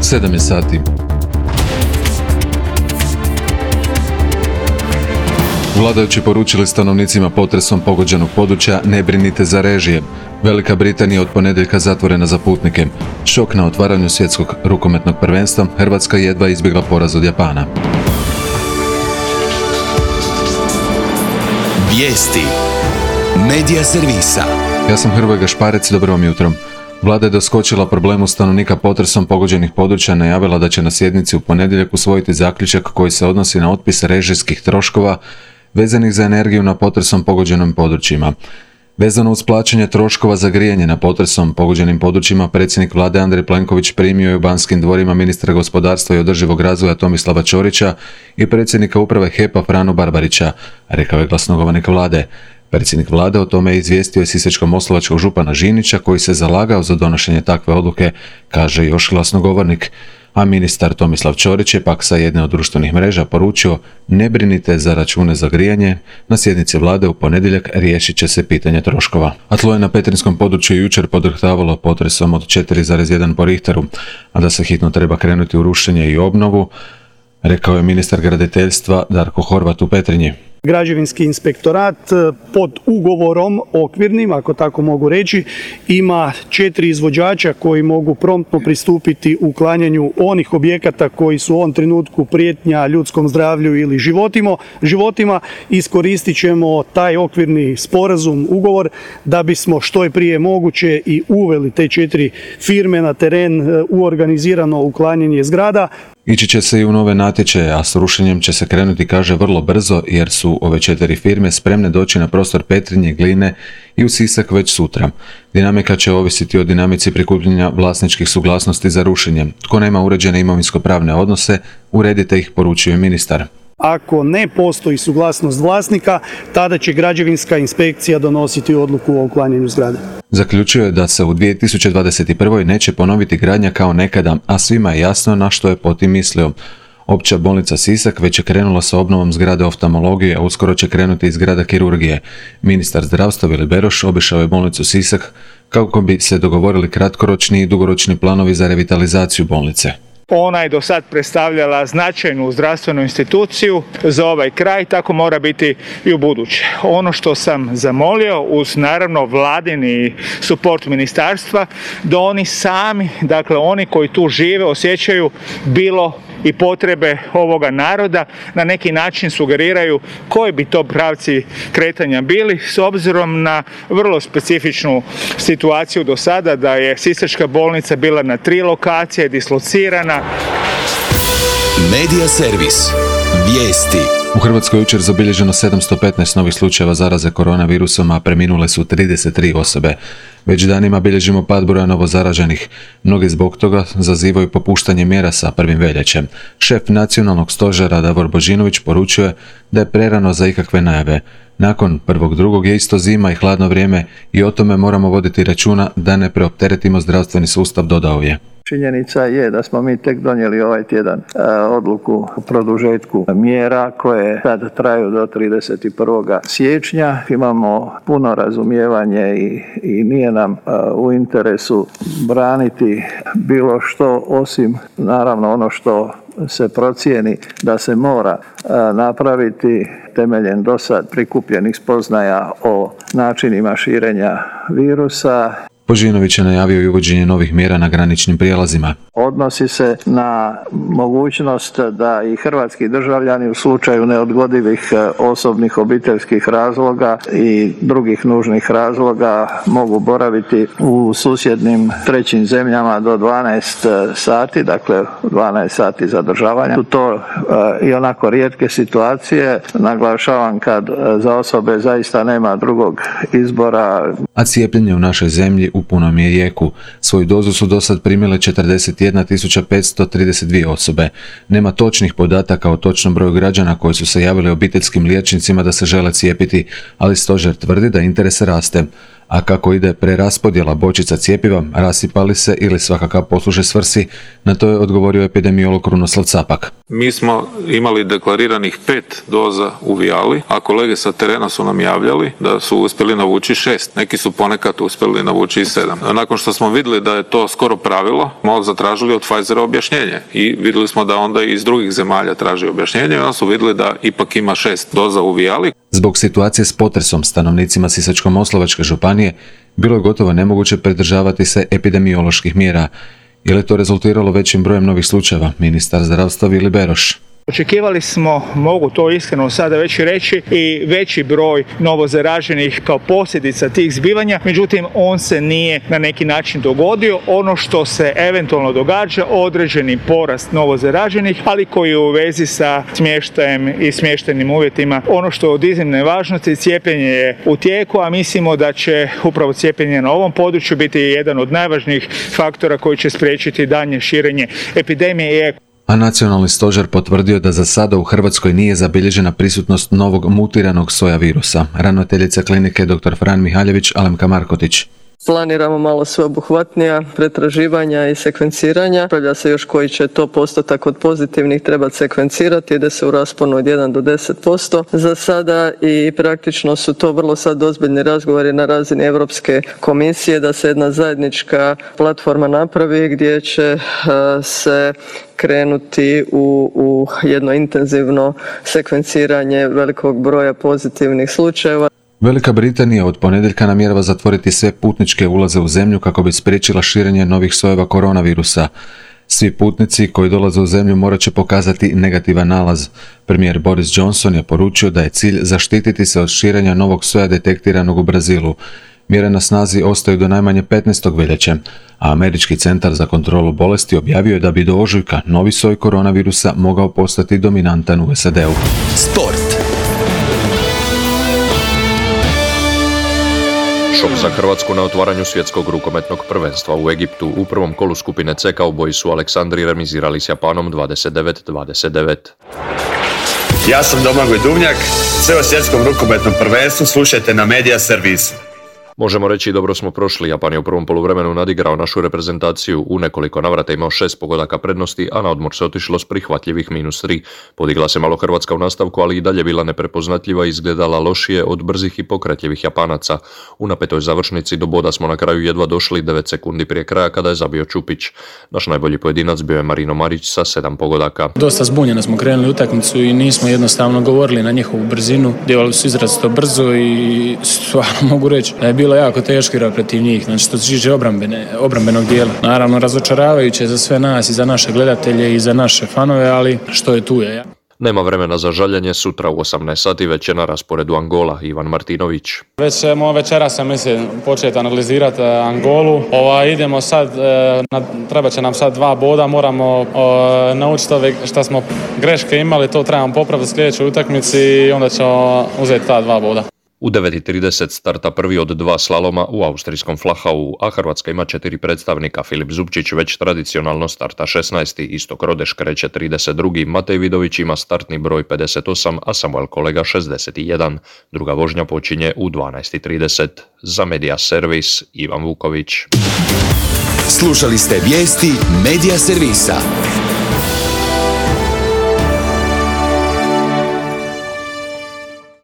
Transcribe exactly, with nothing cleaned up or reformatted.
sedam je sati. Vladajući poručili stanovnicima potresom pogođenog područja ne brinite za režije. Velika Britanija od ponedjeljka zatvorena za putnike. Šok na otvaranju svjetskog rukometnog prvenstva, Hrvatska jedva izbjegla poraz od Japana. Vijesti Medija servisa. Ja sam Hrvoje Gašparec, dobro vam jutro. Vlada je doskočila problemu stanovnika potresom pogođenih područja, najavila da će na sjednici u ponedjeljak usvojiti zaključak koji se odnosi na otpis režijskih troškova vezanih za energiju na potresom pogođenim područjima. Vezano uz plaćanje troškova za grijanje na potresom pogođenim područjima, predsjednik vlade Andrej Plenković primio je u Banskim dvorima ministra gospodarstva i održivog razvoja Tomislava Ćorića i predsjednika uprave H E P-a Franu Barbarića, rekao je glasnogovornik vlade. Predsjednik vlade o tome je izvijestio sisačko-moslavačkog župana Žinića, koji se zalagao za donošenje takve odluke, kaže još glasnogovornik. A ministar Tomislav Ćorić je pak sa jedne od društvenih mreža poručio: ne brinite za račune za grijanje, na sjednici vlade u ponedjeljak riješit će se pitanje troškova. A tlo je na petrinjskom području jučer podrhtavalo potresom od četiri zarez jedan po Richteru, a da se hitno treba krenuti u rušenje i obnovu, rekao je ministar graditeljstva Darko Horvat u Petrinji. Građevinski inspektorat pod ugovorom okvirnim, ako tako mogu reći, ima četiri izvođača koji mogu promptno pristupiti uklanjanju onih objekata koji su u ovom trenutku prijetnja ljudskom zdravlju ili životima. životima. Iskoristit ćemo taj okvirni sporazum, ugovor, da bismo što je prije moguće i uveli te četiri firme na teren u organizirano uklanjanje zgrada. Ići će se i u nove natječaje, a s rušenjem će se krenuti, kaže, vrlo brzo, jer su ove četiri firme spremne doći na prostor Petrinje, Gline i u Sisak već sutra. Dinamika će ovisiti o dinamici prikupljanja vlasničkih suglasnosti za rušenje. Tko nema uređene imovinsko-pravne odnose, uredite ih, poručuje ministar. Ako ne postoji suglasnost vlasnika, tada će građevinska inspekcija donositi odluku o uklanjanju zgrade. Zaključio je da se u dvije tisuće dvadeset prva. neće ponoviti gradnja kao nekada, a svima je jasno na što je po tim mislio. Opća bolnica Sisak već je krenula sa obnovom zgrade oftalmologije, a uskoro će krenuti i zgrada kirurgije. Ministar zdravstva Vili Beroš obišao je bolnicu Sisak kako bi se dogovorili kratkoročni i dugoročni planovi za revitalizaciju bolnice. Ona je do sad predstavljala značajnu zdravstvenu instituciju za ovaj kraj, tako mora biti i u buduće. Ono što sam zamolio, uz naravno vladini suport ministarstva, da oni sami, dakle oni koji tu žive, osjećaju bilo i potrebe ovoga naroda, na neki način sugeriraju koji bi to pravci kretanja bili, s obzirom na vrlo specifičnu situaciju do sada, da je sisačka bolnica bila na tri lokacije, dislocirana. Medija servis. Vijesti. U Hrvatskoj jučer zabilježeno sedamsto petnaest novih slučajeva zaraze koronavirusom, a preminule su trideset tri osobe. Već danima bilježimo pad broja novozaraženih. Mnogi zbog toga zazivaju popuštanje mjera sa prvim veljačem. Šef nacionalnog stožera Davor Božinović poručuje da je prerano za ikakve najave. Nakon prvog drugog je isto zima i hladno vrijeme i o tome moramo voditi računa da ne preopteretimo zdravstveni sustav, dodao je. Činjenica je da smo mi tek donijeli ovaj tjedan e, odluku o produžetku mjera koje sad traju do trideset prvog siječnja. Imamo puno razumijevanje i, i nije nam e, u interesu braniti bilo što osim naravno ono što se procijeni da se mora e, napraviti temeljem dosad prikupljenih spoznaja o načinima širenja virusa. Božinović je najavio i uvođenje novih mjera na graničnim prijelazima. Odnosi se na mogućnost da i hrvatski državljani u slučaju neodgodivih osobnih obiteljskih razloga i drugih nužnih razloga mogu boraviti u susjednim trećim zemljama do dvanaest sati, dakle dvanaest sati zadržavanja. Su to uh, i onako rijetke situacije, naglašavam kad za osobe zaista nema drugog izbora. A cijepljenje u našoj zemlji u punom je jeku. Svoju dozu su dosad primile četrdeset jedna tisuća petsto trideset dvije osobe. Nema točnih podataka o točnom broju građana koji su se javili obiteljskim liječnicima da se žele cijepiti, ali stožer tvrdi da interes raste. a kako ide preraspodjela bočica cjepiva, rasipali se ili svakako posluže svrsi, na to je odgovorio epidemiolog Krunoslav Capak. Mi smo imali deklariranih pet doza u Vijali, a kolege sa terena su nam javljali da su uspjeli navući šest. Neki su ponekad uspjeli navući i sedam. Nakon što smo vidjeli da je to skoro pravilo, smo zatražili od Pfizera objašnjenje i vidjeli smo da onda i iz drugih zemalja traži objašnjenje i onda su vidjeli da ipak ima šest doza u Vijali. Zbog situacije s potresom stanovnicima Sisačko-moslavačke županije bilo je gotovo nemoguće pridržavati se epidemioloških mjera. Je li to rezultiralo većim brojem novih slučajeva? Ministar zdravstva Vili Beroš. Očekivali smo, mogu to iskreno sada već reći, i veći broj novozaraženih kao posljedica tih zbivanja, međutim on se nije na neki način dogodio. Ono što se eventualno događa, određeni porast novozaraženih, ali koji je u vezi sa smještajem i smještajnim uvjetima. Ono što je od iznimne važnosti, cijepljenje je u tijeku, a mislimo da će upravo cijepljenje na ovom području biti jedan od najvažnijih faktora koji će spriječiti daljnje širenje epidemije. A nacionalni stožer potvrdio da za sada u Hrvatskoj nije zabilježena prisutnost novog mutiranog soja virusa. Ravnateljica klinike dr. Fran Mihaljević, Alemka Markotić. Planiramo malo sveobuhvatnija pretraživanja i sekvenciranja. Raspravlja se još koji će to postotak od pozitivnih trebati sekvencirati, ide se u rasponu od jedan do deset posto za sada i praktično su to vrlo sad ozbiljni razgovori na razini Europske komisije da se jedna zajednička platforma napravi gdje će se krenuti u, u jedno intenzivno sekvenciranje velikog broja pozitivnih slučajeva. Velika Britanija od ponedjeljka namjerava zatvoriti sve putničke ulaze u zemlju kako bi spriječila širenje novih sojeva koronavirusa. Svi putnici koji dolaze u zemlju morat će pokazati negativan nalaz. Premijer Boris Johnson je poručio da je cilj zaštititi se od širenja novog soja detektiranog u Brazilu. Mjere na snazi ostaju do najmanje petnaestog veljače, a Američki centar za kontrolu bolesti objavio je da bi do ožujka novi soj koronavirusa mogao postati dominantan u S A D-u. Sport. Šok za Hrvatsku na otvaranju svjetskog rukometnog prvenstva u Egiptu. U prvom kolu skupine C Cowboyi su Aleksandri remizirali s Japanom dvadeset devet dvadeset devet. Ja sam Domagoj Duvnjak, sve o svjetskom rukometnom prvenstvu slušajte na Media Servisu. Možemo reći dobro smo prošli. Japan je u prvom poluvremenu nadigrao našu reprezentaciju, u nekoliko navrata imao šest pogodaka prednosti, a na odmor se otišlo s prihvatljivih minus tri. Podigla se malo Hrvatska u nastavku, ali i dalje bila neprepoznatljiva i izgledala lošije od brzih i pokretljivih Japanaca. U napetoj završnici do boda smo na kraju jedva došli devet sekundi prije kraja kada je zabio Čupić. Naš najbolji pojedinac bio je Marino Marić sa sedam pogodaka. Dosta zbunjeno smo krenuli utakmicu i nismo jednostavno govorili na njihovu brzinu. Djelovali su izrazito brzo i stvarno mogu reći da je bilo jako teško igrati protiv njih, znači što se tiče obrambene, obrambenog dijela. Naravno razočaravajuće za sve nas i za naše gledatelje i za naše fanove, ali što je tu je. Nema vremena za žaljenje, sutra u osamnaest sati već je na rasporedu Angola, Ivan Martinović. Već ćemo večeras, mislim, početi analizirati Angolu. Ova, idemo sad, na, treba će nam sad dva boda, moramo o, naučiti ove što smo greške imali, to trebamo popraviti u sljedećoj utakmici i onda ćemo uzeti ta dva boda. U devet i trideset starta prvi od dva slaloma u austrijskom Flachau, a Hrvatska ima četiri predstavnika. Filip Zupčić već tradicionalno starta šesnaesti, Istok Rodeš kreće trideset drugi, Matej Vidović ima startni broj pedeset osam, a Samuel Kolega šezdeset jedan. Druga vožnja počinje u dvanaest i trideset. Za Media Servis, Ivan Vuković. Slušali ste vijesti Media Servisa.